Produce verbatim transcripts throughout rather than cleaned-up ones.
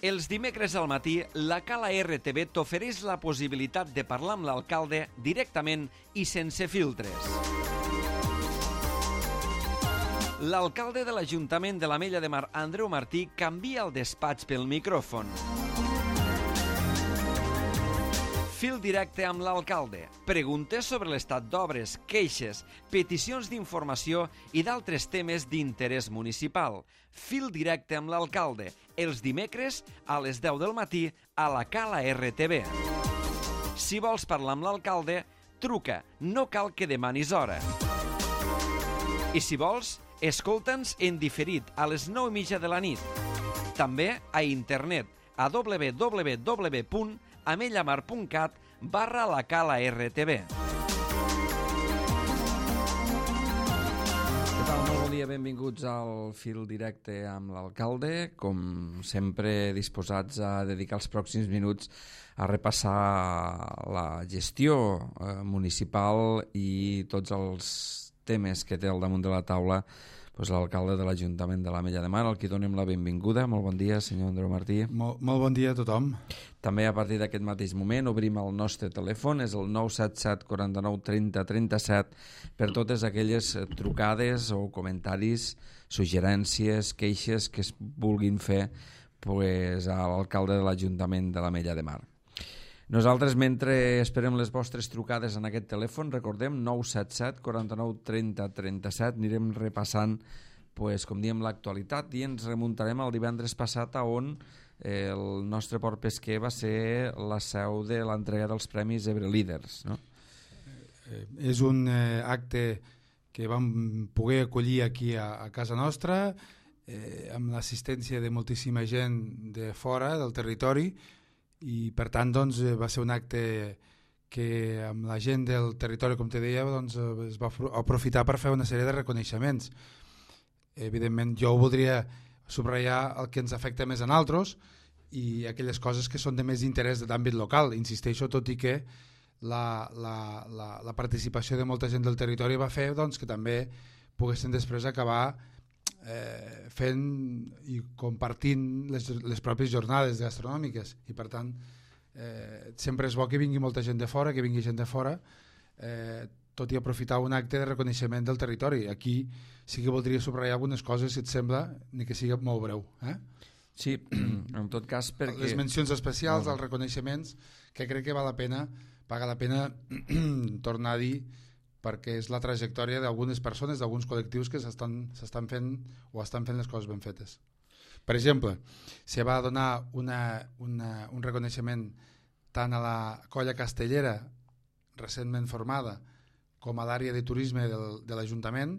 Els dimecres al matí, la Cala R T V t'ofereix la possibilitat de parlar amb l'alcalde directament i sense filtres. L'alcalde de l'Ajuntament de l'Ametlla de Mar, Andreu Martí, canvia el despatx pel micròfon. Fil directe amb l'alcalde. Preguntes sobre l'estat d'obres, queixes, peticions d'informació i d'altres temes d'interès municipal. Fil directe amb l'alcalde. Els dimecres a les deu del matí a la Cala R T V. Si vols parlar amb l'alcalde, truca. No cal que demanis hora. I si vols, escolta'ns en diferit a les nou i mitja de la nit. També a internet a w w w punt amellamar punt cat barra la Cala R T V. Què tal? Molt bon dia, benvinguts al Fil Directe amb l'alcalde. Com sempre, disposats a dedicar els pròxims minuts a repassar la gestió eh, municipal i tots els temes que té al damunt de la taula pues, l'alcalde de l'Ajuntament de l'Ametlla de Mar, al qui donem la benvinguda. Molt bon dia, senyor Andreu Martí. Molt, molt bon dia a tothom. També a partir d'aquest mateix moment obrim el nostre telèfon, és el nou set set quaranta-nou trenta trenta-set, per totes aquelles trucades o comentaris, suggerències, queixes que es vulguin fer pues, a l'alcalde de l'Ajuntament de l'Ametlla de Mar. Nosaltres, mentre esperem les vostres trucades en aquest telèfon, recordem, nou set set quaranta-nou trenta trenta-set, anirem repassant, pues, com diem, l'actualitat i ens remuntarem al divendres passat a on eh, el nostre port pesquer va ser la seu de l'entrega dels Premis Ebre Líders. No? Eh, és un eh, acte que vam poder acollir aquí a, a casa nostra, eh, amb l'assistència de moltíssima gent de fora del territori, i per tant doncs, va ser un acte que amb la gent del territori, com te deia, doncs, es va aprofitar per fer una sèrie de reconeixements. Evidentment jo voldria subratllar el que ens afecta més a nosaltres i aquelles coses que són de més interès d'àmbit local. Insisteixo, tot i que la, la, la, la participació de molta gent del territori va fer doncs, que també poguessin després acabar Eh, fent i compartint les, les pròpies jornades gastronòmiques i per tant eh, sempre és bo que vingui molta gent de fora, que vingui gent de fora, eh, tot i aprofitar un acte de reconeixement del territori. Aquí sí que voldria subratllar algunes coses, si et sembla, ni que sigui molt breu. Eh? Sí, en tot cas perquè... Les mencions especials, els reconeixements, que crec que val la pena, paga la pena tornar a dir, perquè és la trajectòria d'algunes persones, d'alguns col·lectius que s'estan fent o estan fent les coses ben fetes. Per exemple, se va donar una, una, un reconeixement tant a la colla castellera recentment formada com a l'àrea de turisme del, de l'Ajuntament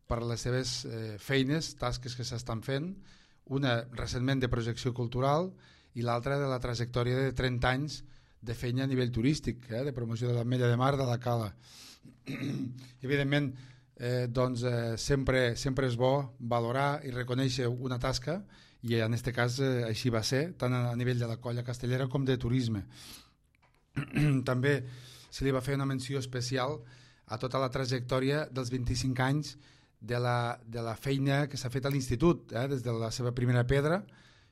per les seves eh, feines, tasques que s'estan fent, una recentment de projecció cultural i l'altra de la trajectòria de trenta anys de feina a nivell turístic, eh, de promoció de l'Ametlla de Mar, de la Cala. Evidentment eh, doncs, eh, sempre, sempre és bo valorar i reconèixer una tasca i en aquest cas eh, així va ser, tant a nivell de la colla castellera com de turisme. També se li va fer una menció especial a tota la trajectòria dels vint-i-cinc anys de la, de la feina que s'ha fet a l'institut, eh, des de la seva primera pedra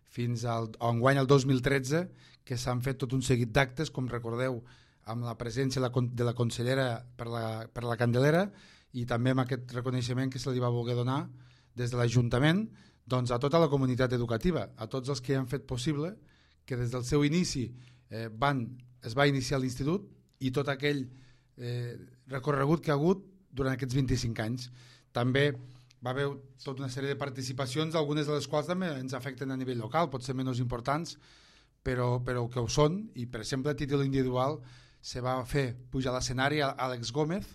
fins al enguany al dos mil tretze, que s'han fet tot un seguit d'actes, com recordeu, amb la presència de la consellera per la, per la Candelera i també amb aquest reconeixement que se li va voler donar des de l'Ajuntament doncs, a tota la comunitat educativa, a tots els que han fet possible que des del seu inici eh, van, es va iniciar l'institut i tot aquell eh, recorregut que ha hagut durant aquests vint-i-cinc anys. També va haver tota una sèrie de participacions, algunes de les quals també ens afecten a nivell local, potser menys importants, però, però que ho són, i per exemple a títol individual se va fer pujar a l'escenari Àlex Gómez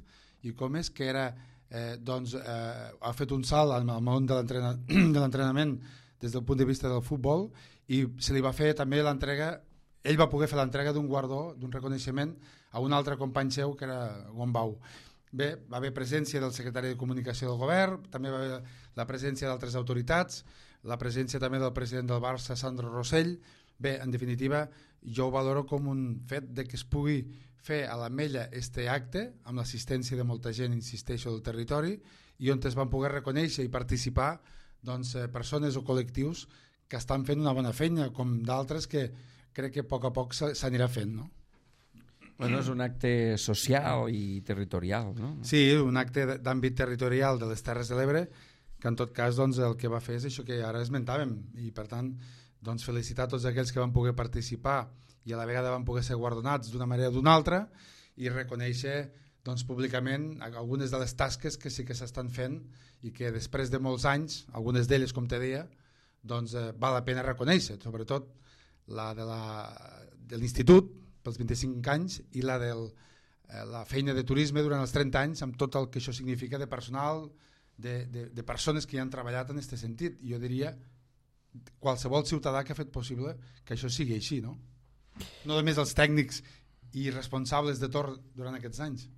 i Gómez, que era, eh, doncs, eh, ha fet un salt al món de l'entrenament des del punt de vista del futbol i se li va fer també l'entrega, ell va poder fer l'entrega d'un guardó, d'un reconeixement a un altre company seu que era Gombau. Bé, va haver presència del secretari de Comunicació del Govern, també va haver la presència d'altres autoritats, la presència també del president del Barça, Sandro Rossell. Bé, en definitiva, jo ho valoro com un fet de que es pugui fer a l'Ametlla este acte amb l'assistència de molta gent, insisteixo, del territori i on es van poder reconèixer i participar doncs, persones o col·lectius que estan fent una bona feina, com d'altres que crec que a poc a poc s'anirà fent, no? Bueno, és un acte social i territorial, no? Sí, un acte d'àmbit territorial de les Terres de l'Ebre, que en tot cas doncs, el que va fer és això que ara esmentàvem, i per tant doncs, felicitar tots aquells que van poder participar i a la vegada van poder ser guardonats d'una manera o d'una altra, i reconèixer doncs, públicament algunes de les tasques que sí que s'estan fent i que després de molts anys, algunes d'elles com te deia, doncs, eh, val la pena reconèixer, sobretot la de la, de l'Institut pels vint-i-cinc anys i la de eh, la feina de turisme durant els trenta anys, amb tot el que això significa de personal, de, de, de persones que hi han treballat en aquest sentit. Jo diria qualsevol ciutadà que ha fet possible que això sigui així, no? No només els tècnics i responsables de torn durant aquests anys.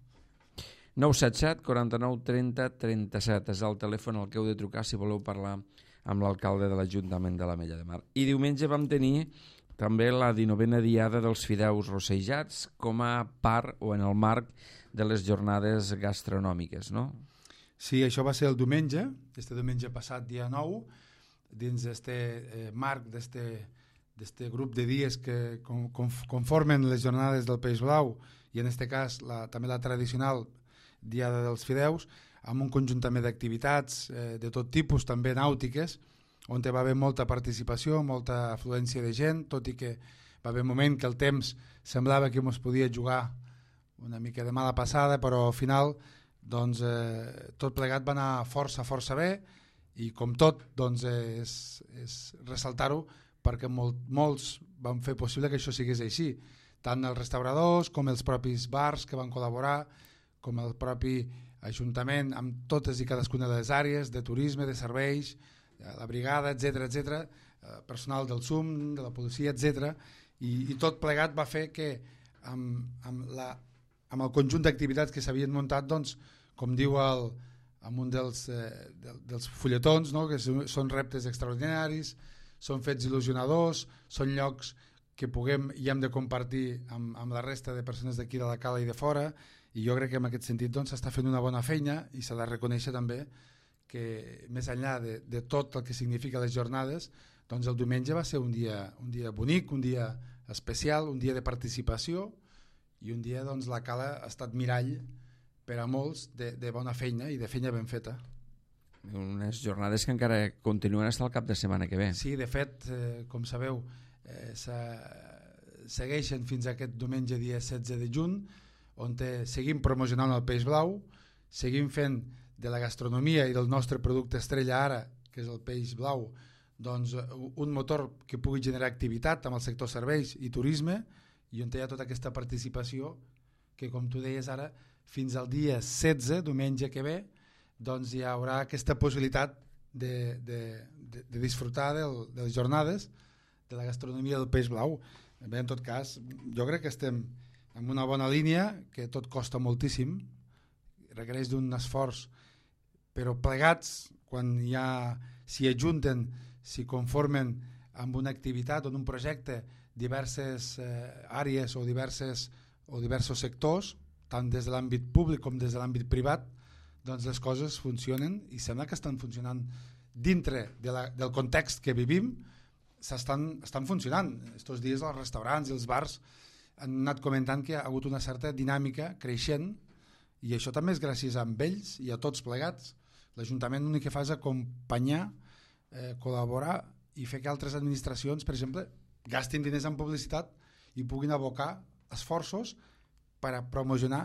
nou set set, quaranta-nou, trenta, trenta-set és el telèfon al que heu de trucar si voleu parlar amb l'alcalde de l'Ajuntament de l'Ametlla de Mar. I diumenge vam tenir també la dinovena diada dels fideus rossejats com a part o en el marc de les jornades gastronòmiques, no? Sí, això va ser el diumenge, este diumenge passat, dia nou, dins d'aquest eh, marc d'aquest grup de dies que com, com, conformen les jornades del Peix Blau i en aquest cas la, també la tradicional Diada dels Fideus, amb un conjunt també d'activitats eh, de tot tipus, també nàutiques, on va haver molta participació, molta afluència de gent, tot i que va haver un moment que el temps semblava que ens podia jugar una mica de mala passada, però al final doncs, eh, tot plegat va anar força, força bé, i com tot doncs, és, és ressaltar-ho perquè molt, molts van fer possible que això sigués així, tant els restauradors com els propis bars que van col·laborar, com el propi Ajuntament amb totes i cadascuna de les àrees de turisme, de serveis, la brigada, etcètera, etcètera, personal del S U M, de la policia, etcètera, i, i tot plegat va fer que amb, amb, la, amb el conjunt d'activitats que s'havien muntat, doncs, com diu el, en un dels, eh, dels fulletons, no? Que són reptes extraordinaris, són fets il·lusionadors, són llocs que puguem i hem de compartir amb, amb la resta de persones d'aquí de la Cala i de fora, i jo crec que en aquest sentit doncs, s'està fent una bona feina i s'ha de reconèixer també que més enllà de, de tot el que significa les jornades, doncs el diumenge va ser un dia, un dia bonic, un dia especial, un dia de participació i un dia doncs, la Cala ha estat mirall per a molts de, de bona feina i de feina ben feta. Unes jornades que encara continuen fins al cap de setmana que ve. Sí, de fet, eh, com sabeu, eh, segueixen fins a aquest diumenge dia setze de juny, on te, seguim promocionant el Peix Blau, seguim fent de la gastronomia i del nostre producte estrella ara, que és el Peix Blau, doncs, un motor que pugui generar activitat amb el sector serveis i turisme, i on hi ha tota aquesta participació que, com tu deies ara, fins al dia setze, diumenge que ve, doncs hi haurà aquesta possibilitat de, de, de, de disfrutar del, de les jornades de la gastronomia del Peix Blau. Bé, en tot cas, jo crec que estem en una bona línia, que tot costa moltíssim, requereix d'un esforç, però plegats, quan ja s'hi ajunten, s'hi conformen amb una activitat o en un projecte diverses eh, àrees o, diverses, o diversos sectors, tant des de l'àmbit públic com des de l'àmbit privat, doncs les coses funcionen i sembla que estan funcionant dintre de la, del context que vivim, s'estan, estan funcionant. Estos dies els restaurants i els bars han anat comentant que ha hagut una certa dinàmica creixent i això també és gràcies a ells i a tots plegats. L'Ajuntament l'únic que fa és acompanyar, eh, col·laborar i fer que altres administracions, per exemple, gastin diners en publicitat i puguin abocar esforços per a promocionar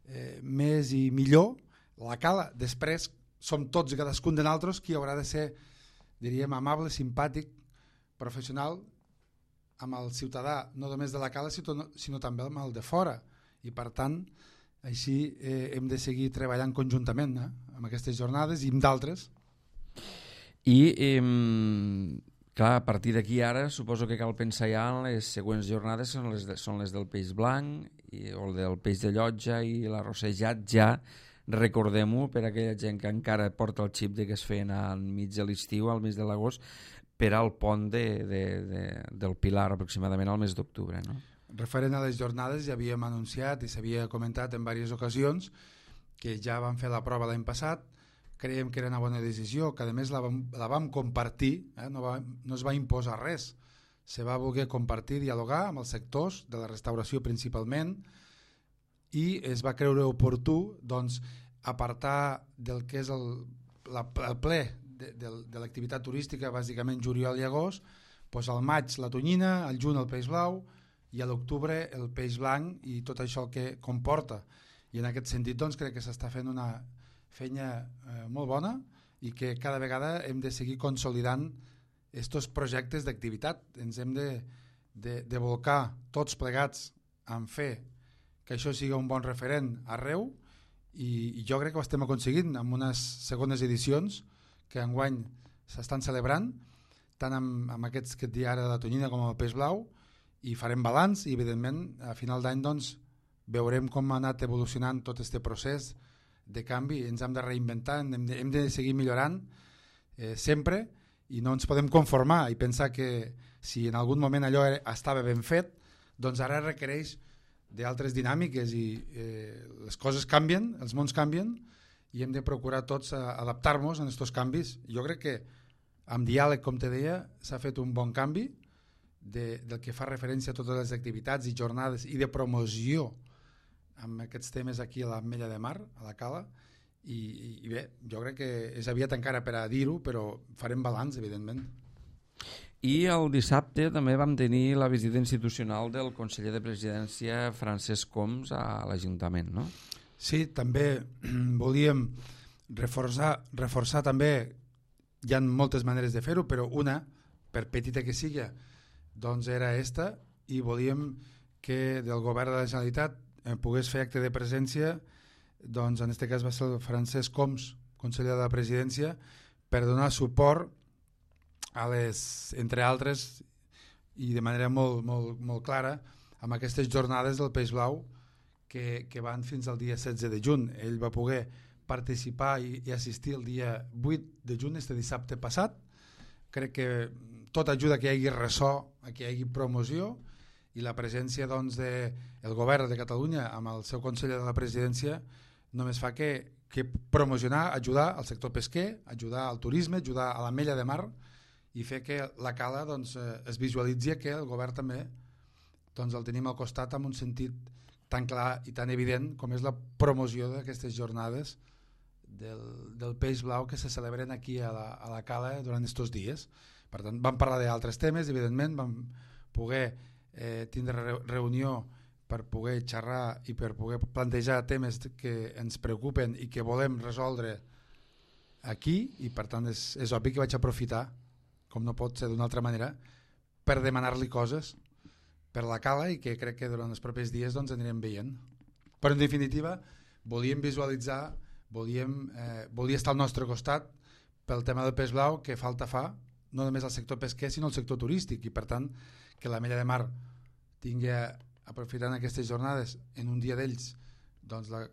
eh, més i millor la Cala. Després som tots i cadascun de nosaltres qui haurà de ser, diríem, amable, simpàtic, professional amb el ciutadà, no només de la Cala, sinó, sinó també amb el de fora. I per tant, així eh, hem de seguir treballant conjuntament eh, amb aquestes jornades i amb d'altres. I, eh, clar, a partir d'aquí ara suposo que cal pensar ja en les següents jornades, són les, de, són les del peix blanc i, o del peix de llotja i l'arrossejat ja, recordem-ho per a aquella gent que encara porta el xip de que es feien al mig de l'estiu, al mes de l'agost, per al pont de, de, de, del Pilar aproximadament al mes d'octubre, no? Referent a les jornades ja havíem anunciat i s'havia comentat en diverses ocasions que ja van fer la prova l'any passat, creiem que era una bona decisió, que a més la vam, la vam compartir, eh? no, va, no es va imposar res, se va voler compartir, dialogar amb els sectors de la restauració principalment, i es va creure oportú doncs, apartar del que és el, la, el ple de, de, de l'activitat turística, bàsicament juliol i agost, doncs al maig la tonyina, al juny el peix blau i a l'octubre el peix blanc i tot això que comporta. I en aquest sentit doncs, crec que s'està fent una feina eh, molt bona i que cada vegada hem de seguir consolidant aquests projectes d'activitat. Ens hem de, de, de volcar tots plegats en fer que això sigui un bon referent arreu i, i jo crec que ho estem aconseguint amb unes segones edicions que enguany s'estan celebrant tant amb, amb aquests que et dic ara de la tonyina com amb el peix blau i farem balanç i evidentment a final d'any doncs, veurem com ha anat evolucionant tot aquest procés de canvi, ens hem de reinventar, hem de, hem de seguir millorant eh, sempre i no ens podem conformar i pensar que si en algun moment allò estava ben fet, doncs ara requereix d'altres dinàmiques i eh, les coses canvien, els mons canvien i hem de procurar tots adaptar-nos a aquests canvis. Jo crec que amb diàleg, com te deia, s'ha fet un bon canvi de, del que fa referència a totes les activitats i jornades i de promoció amb aquests temes aquí a l'Ametlla de Mar, a la Cala, i, i, i bé, jo crec que és aviat encara per a dir-ho, però farem balanç, evidentment. I el dissabte també vam tenir la visita institucional del conseller de Presidència Francesc Homs a l'Ajuntament, no? Sí, també volíem reforçar, reforçar també, hi ha moltes maneres de fer-ho, però una, per petita que sigui, doncs era esta, i volíem que del govern de la Generalitat eh, pogués fer acte de presència, doncs en aquest cas va ser el Francesc Homs, conseller de la Presidència, per donar suport a les, entre altres, i de manera molt, molt, molt clara, amb aquestes jornades del peix blau que, que van fins al dia setze de juny. Ell va poder participar i, i assistir el dia vuit de juny, este dissabte passat. Crec que tot ajuda que hi hagi ressò, que hi hagi promoció, i la presència doncs, de, el govern de Catalunya amb el seu conseller de la Presidència només fa que, que promocionar, ajudar al sector pesquer, ajudar al turisme, ajudar a l'Ametlla de Mar i fer que la Cala doncs, es visualitzi que el govern també doncs, el tenim al costat amb un sentit tan clar i tan evident com és la promoció d'aquestes jornades del, del peix blau que se celebren aquí a la, a la Cala durant aquests dies. Per tant, vam parlar d'altres temes, evidentment, vam poder eh, tindre re reunió per poder xerrar i per poder plantejar temes que ens preocupen i que volem resoldre aquí, i per tant és, és obvi que vaig aprofitar, com no pot ser d'una altra manera, per demanar-li coses per la Cala i que crec que durant els propers dies doncs, anirem veient. Però en definitiva volíem visualitzar, volíem, eh, volia estar al nostre costat pel tema del peix blau que falta fa, no només al sector pesquer sinó al sector turístic, i per tant que l'Ametlla de Mar tingui, aprofitant aquestes jornades en un dia d'ells, doncs la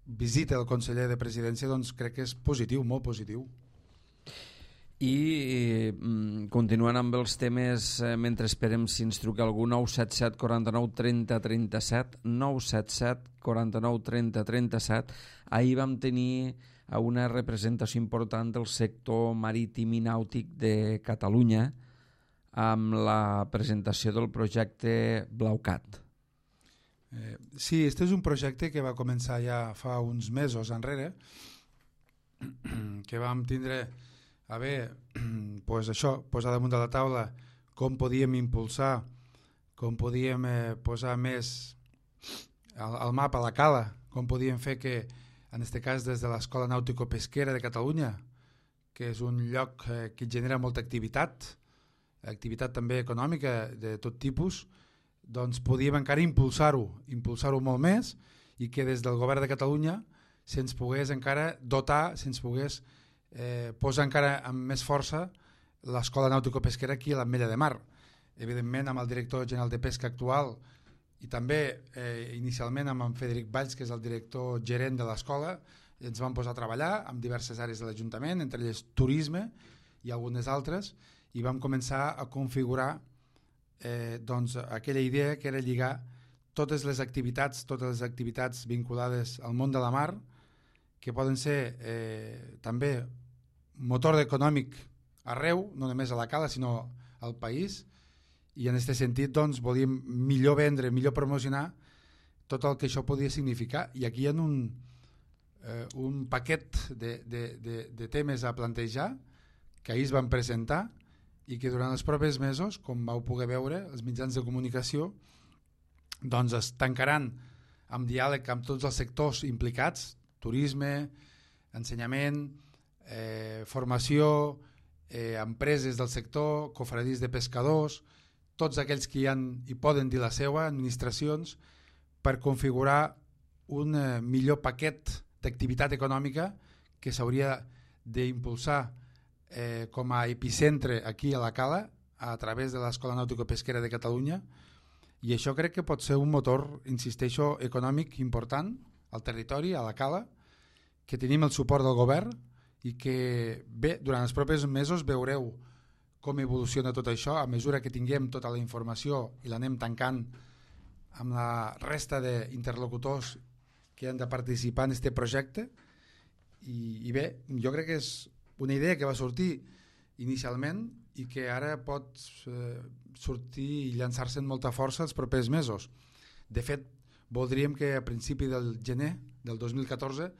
visita del conseller de Presidència, doncs crec que és positiu, molt positiu. I eh, continuant amb els temes, eh, mentre esperem si ens truca algú, nou set set quaranta-nou trenta trenta-set, nou set set quaranta-nou trenta trenta-set. Ahir vam tenir una representació important del sector marítim i nàutic de Catalunya amb la presentació del projecte BlauCat. Eh, sí, este és un projecte que va començar ja fa uns mesos enrere, que vam tindre a bé, pues això, posar damunt de la taula com podíem impulsar, com podíem eh, posar més al, al mapa la Cala, com podíem fer que, en aquest cas des de l'Escola Nàutico-Pesquera de Catalunya, que és un lloc eh, que genera molta activitat, activitat també econòmica de tot tipus, doncs podíem encara impulsar-ho, impulsar-ho molt més, i que des del govern de Catalunya se'ns pogués encara dotar, se'ns pogués eh, posar encara amb més força l'Escola Nàutico-Pesquera aquí a l'Ametlla de Mar. Evidentment amb el director general de pesca actual i també eh, inicialment amb en Frederic Valls, que és el director gerent de l'escola, ens vam posar a treballar amb diverses àrees de l'Ajuntament, entre elles turisme i algunes altres, i vam començar a configurar eh, doncs, aquella idea que era lligar totes les activitats, totes les activitats vinculades al món de la mar que poden ser eh, també motor econòmic arreu, no només a la Cala sinó al país, i en aquest sentit doncs, volíem millor vendre, millor promocionar tot el que això podia significar, i aquí hi ha un, eh, un paquet de, de, de, de temes a plantejar que ahir es van presentar i que durant els propers mesos, com vau poder veure, els mitjans de comunicació doncs es tancaran amb diàleg amb tots els sectors implicats, turisme, ensenyament, eh, formació, eh, empreses del sector, cofradís de pescadors, tots aquells que hi, han, hi poden dir la seva, administracions, per configurar un eh, millor paquet d'activitat econòmica que s'hauria d'impulsar eh, com a epicentre aquí a la Cala a través de l'Escola Nàutico-Pesquera de Catalunya, i això crec que pot ser un motor, insisteixo, econòmic important al territori, a la Cala, que tenim el suport del govern i que bé, durant els propers mesos veureu com evoluciona tot això a mesura que tinguem tota la informació i l'anem tancant amb la resta d'interlocutors que han de participar en aquest projecte. I, i bé, jo crec que és una idea que va sortir inicialment i que ara pot eh, sortir i llançar-se amb molta força els propers mesos. De fet, voldríem que a principi del gener del dos mil catorze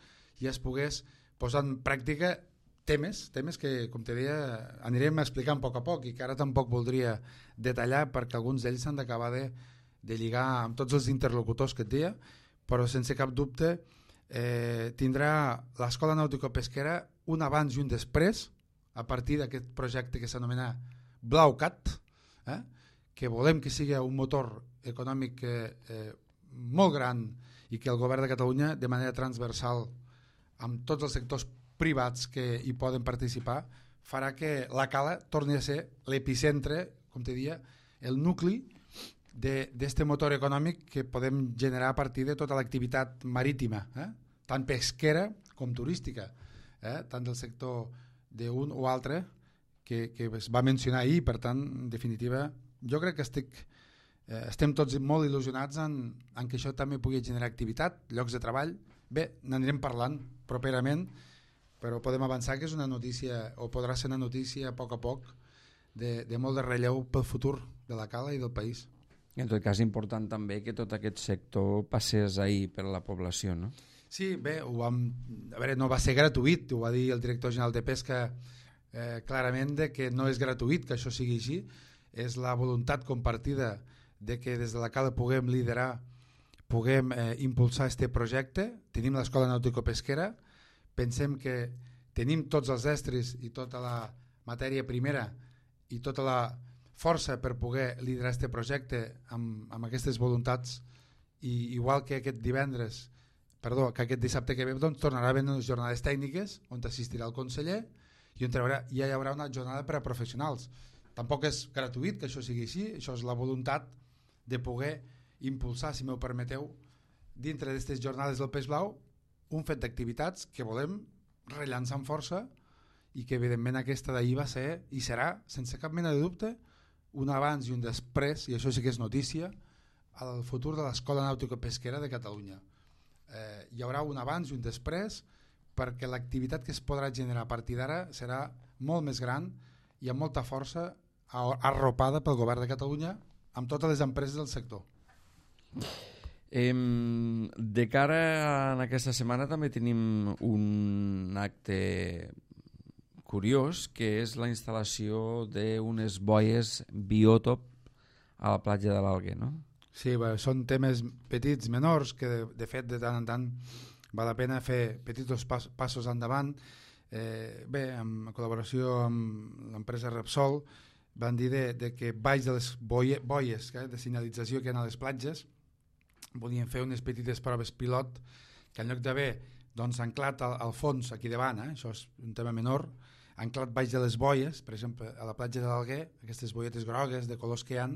ja es pogués posar en pràctica temes, temes que, com te deia, anirem explicant a poc a poc i que ara tampoc voldria detallar perquè alguns d'ells s'han d'acabar de, de lligar amb tots els interlocutors que et deia, però sense cap dubte eh, tindrà l'Escola Nàutico-Pesquera un abans i un després a partir d'aquest projecte que s'anomena BlauCat, eh, que volem que sigui un motor econòmic eh, molt gran i que el govern de Catalunya de manera transversal amb tots els sectors privats que hi poden participar farà que la Cala torni a ser l'epicentre, com te dia, el nucli d'aquest motor econòmic que podem generar a partir de tota l'activitat marítima, eh? tant pesquera com turística, eh? tant del sector d'un o altre que, que es va mencionar ahir. Per tant, en definitiva, jo crec que estic, eh, estem tots molt il·lusionats en, en que això també pugui generar activitat, llocs de treball. Bé, n'anirem parlant properament, però podem avançar que és una notícia, o podrà ser una notícia a poc a poc de, de molt de relleu pel futur de la Cala i del país. En tot cas, important també que tot aquest sector passés ahir per a la població, no? Sí, bé, ho vam, a veure, no va ser gratuït, ho va dir el director general de Pesca eh, clarament de que no és gratuït que això sigui així, és la voluntat compartida de que des de la Cala puguem liderar, puguem eh, impulsar este projecte. Tenim l'Escola Nàutico-Pesquera, pensem que tenim tots els estris i tota la matèria primera i tota la força per poder liderar este projecte amb, amb aquestes voluntats, i igual que aquest divendres Perdó, que aquest dissabte que ve doncs, tornarà a haver unes jornades tècniques on assistirà el conseller i on haurà, ja hi haurà una jornada per a professionals. Tampoc és gratuït que això sigui així, això és la voluntat de poder impulsar, si m'ho permeteu, dintre d'aquestes jornades del Peix Blau, un fet d'activitats que volem rellançar amb força i que evidentment aquesta d'ahir va ser i serà, sense cap mena de dubte, un abans i un després, i això sí que és notícia, al futur de l'Escola Nàutico-Pesquera de Catalunya. Eh, hi haurà un abans i un després perquè l'activitat que es podrà generar a partir d'ara serà molt més gran i amb molta força arropada pel govern de Catalunya amb totes les empreses del sector. Eh, de cara a aquesta setmana també tenim un acte curiós que és la instal·lació d'unes boies biòtop a la platja de l'Alguer, no? Sí, bé, són temes petits, menors, que de, de fet de tant en tant val la pena fer petits pas, passos endavant. Eh, bé, en col·laboració amb l'empresa Repsol van dir de, de que baix de les boie, boies eh, de senyalització que hi ha a les platges volien fer unes petites proves pilot que en lloc d'haver doncs, anclat al, al fons aquí davant, eh, això és un tema menor, anclat baix de les boies, per exemple a la platja de l'Alguer, aquestes boietes grogues de colors que hi ha,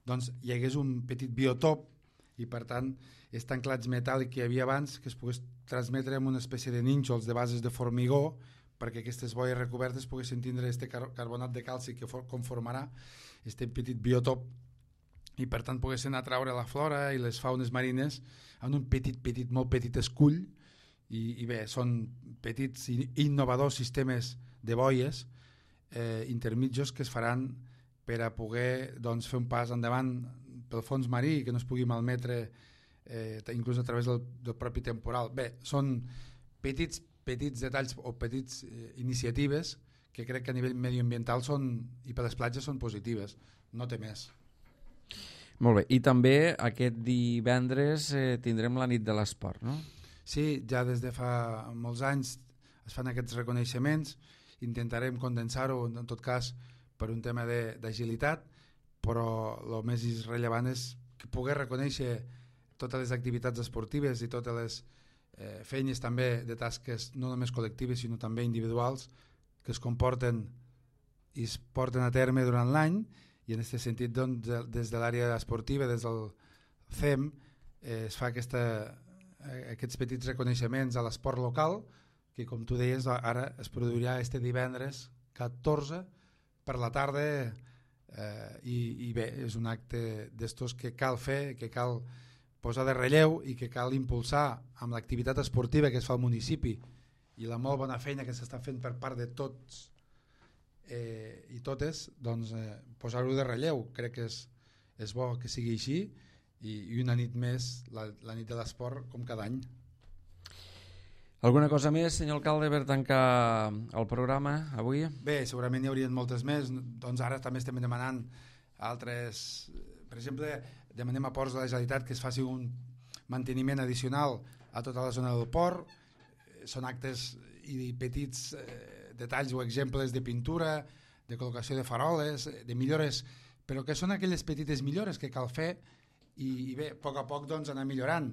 doncs hi hagués un petit biotop i per tant els anclats metàl·lic que hi havia abans que es pogués transmetre amb una espècie de nínxols de bases de formigó perquè aquestes boies recobertes poguessin tindre este car carbonat de calci que conformarà este petit biotop i per tant poguessin atraure la flora i les faunes marines en un petit, petit, molt petit escull i, i bé, són petits i innovadors sistemes de boies eh, intermitjos que es faran per a poder doncs, fer un pas endavant pel fons marí, que no es pugui malmetre eh, inclús a través del, del propi temporal. Bé, són petits, petits detalls o petits eh, iniciatives que crec que a nivell medioambiental són, i per les platges són positives, no té més. Molt bé, i també aquest divendres eh, tindrem la nit de l'esport, no? Sí, ja des de fa molts anys es fan aquests reconeixements, intentarem condensar-ho en tot cas per un tema d'agilitat, però el més rellevant és que poder reconèixer totes les activitats esportives i totes les eh, feines també de tasques no només col·lectives sinó també individuals que es comporten i es porten a terme durant l'any, i en aquest sentit doncs, des de l'àrea esportiva, des del C E M, eh, es fa aquesta, eh, aquests petits reconeixements a l'esport local, que com tu deies ara es produirà este divendres catorze per la tarda, eh, i, i bé, és un acte d'estos que cal fer, que cal posar de relleu i que cal impulsar amb l'activitat esportiva que es fa al municipi i la molt bona feina que s'està fent per part de tots eh, i totes, doncs eh, posar-ho de relleu. Crec que és, és bo que sigui així, i, i una nit més, la, la nit de l'esport, com cada any. Alguna cosa més, senyor alcalde, per tancar el programa avui? Bé, segurament hi haurien moltes més. Doncs ara també estem demanant altres... Per exemple, demanem a Ports de la Generalitat que es faci un manteniment addicional a tota la zona del port. Són actes i petits eh, detalls o exemples de pintura, de col·locació de faroles, de millores, però que són aquelles petites millores que cal fer i, i bé, a poc a poc doncs, anar millorant.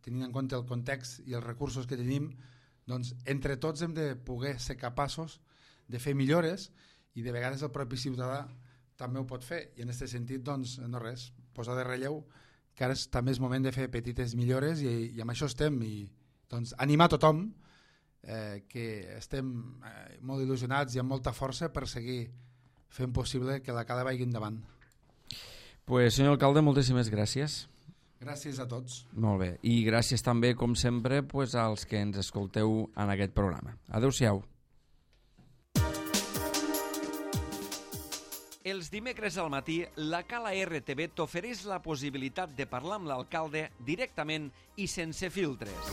Tenint en compte el context i els recursos que tenim, doncs entre tots hem de poder ser capaços de fer millores, i de vegades el propi ciutadà també ho pot fer, i en aquest sentit doncs no res, posar de relleu que ara és, també és moment de fer petites millores, i, i amb això estem, i doncs animar tothom eh, que estem eh, molt il·lusionats i amb molta força per seguir fent possible que la cala vagi endavant. Pues, senyor alcalde, moltíssimes gràcies. Gràcies a tots. Molt bé, i gràcies també, com sempre, pues, als que ens escolteu en aquest programa. Adéu-siau. Els dimecres al matí, la Cala R T V t'ofereix la possibilitat de parlar amb l'alcalde directament i sense filtres.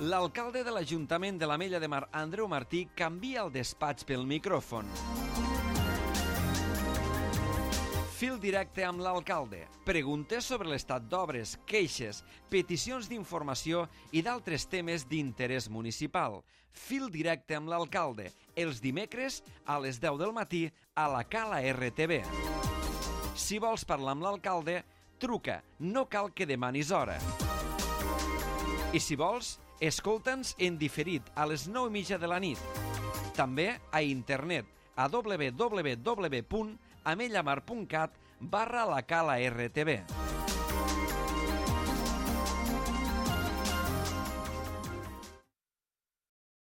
L'alcalde de l'Ajuntament de l'Ametlla de Mar, Andreu Martí, canvia el despatx pel micròfon. Fil directe amb l'alcalde. Preguntes sobre l'estat d'obres, queixes, peticions d'informació i d'altres temes d'interès municipal. Fil directe amb l'alcalde. Els dimecres a les deu del matí a la Cala R T V. Si vols parlar amb l'alcalde, truca. No cal que demanis hora. I si vols, escolta'ns en diferit a les nou i mitja de la nit. També a internet a w w w punt amellamar punt cat barra la Cala R T V.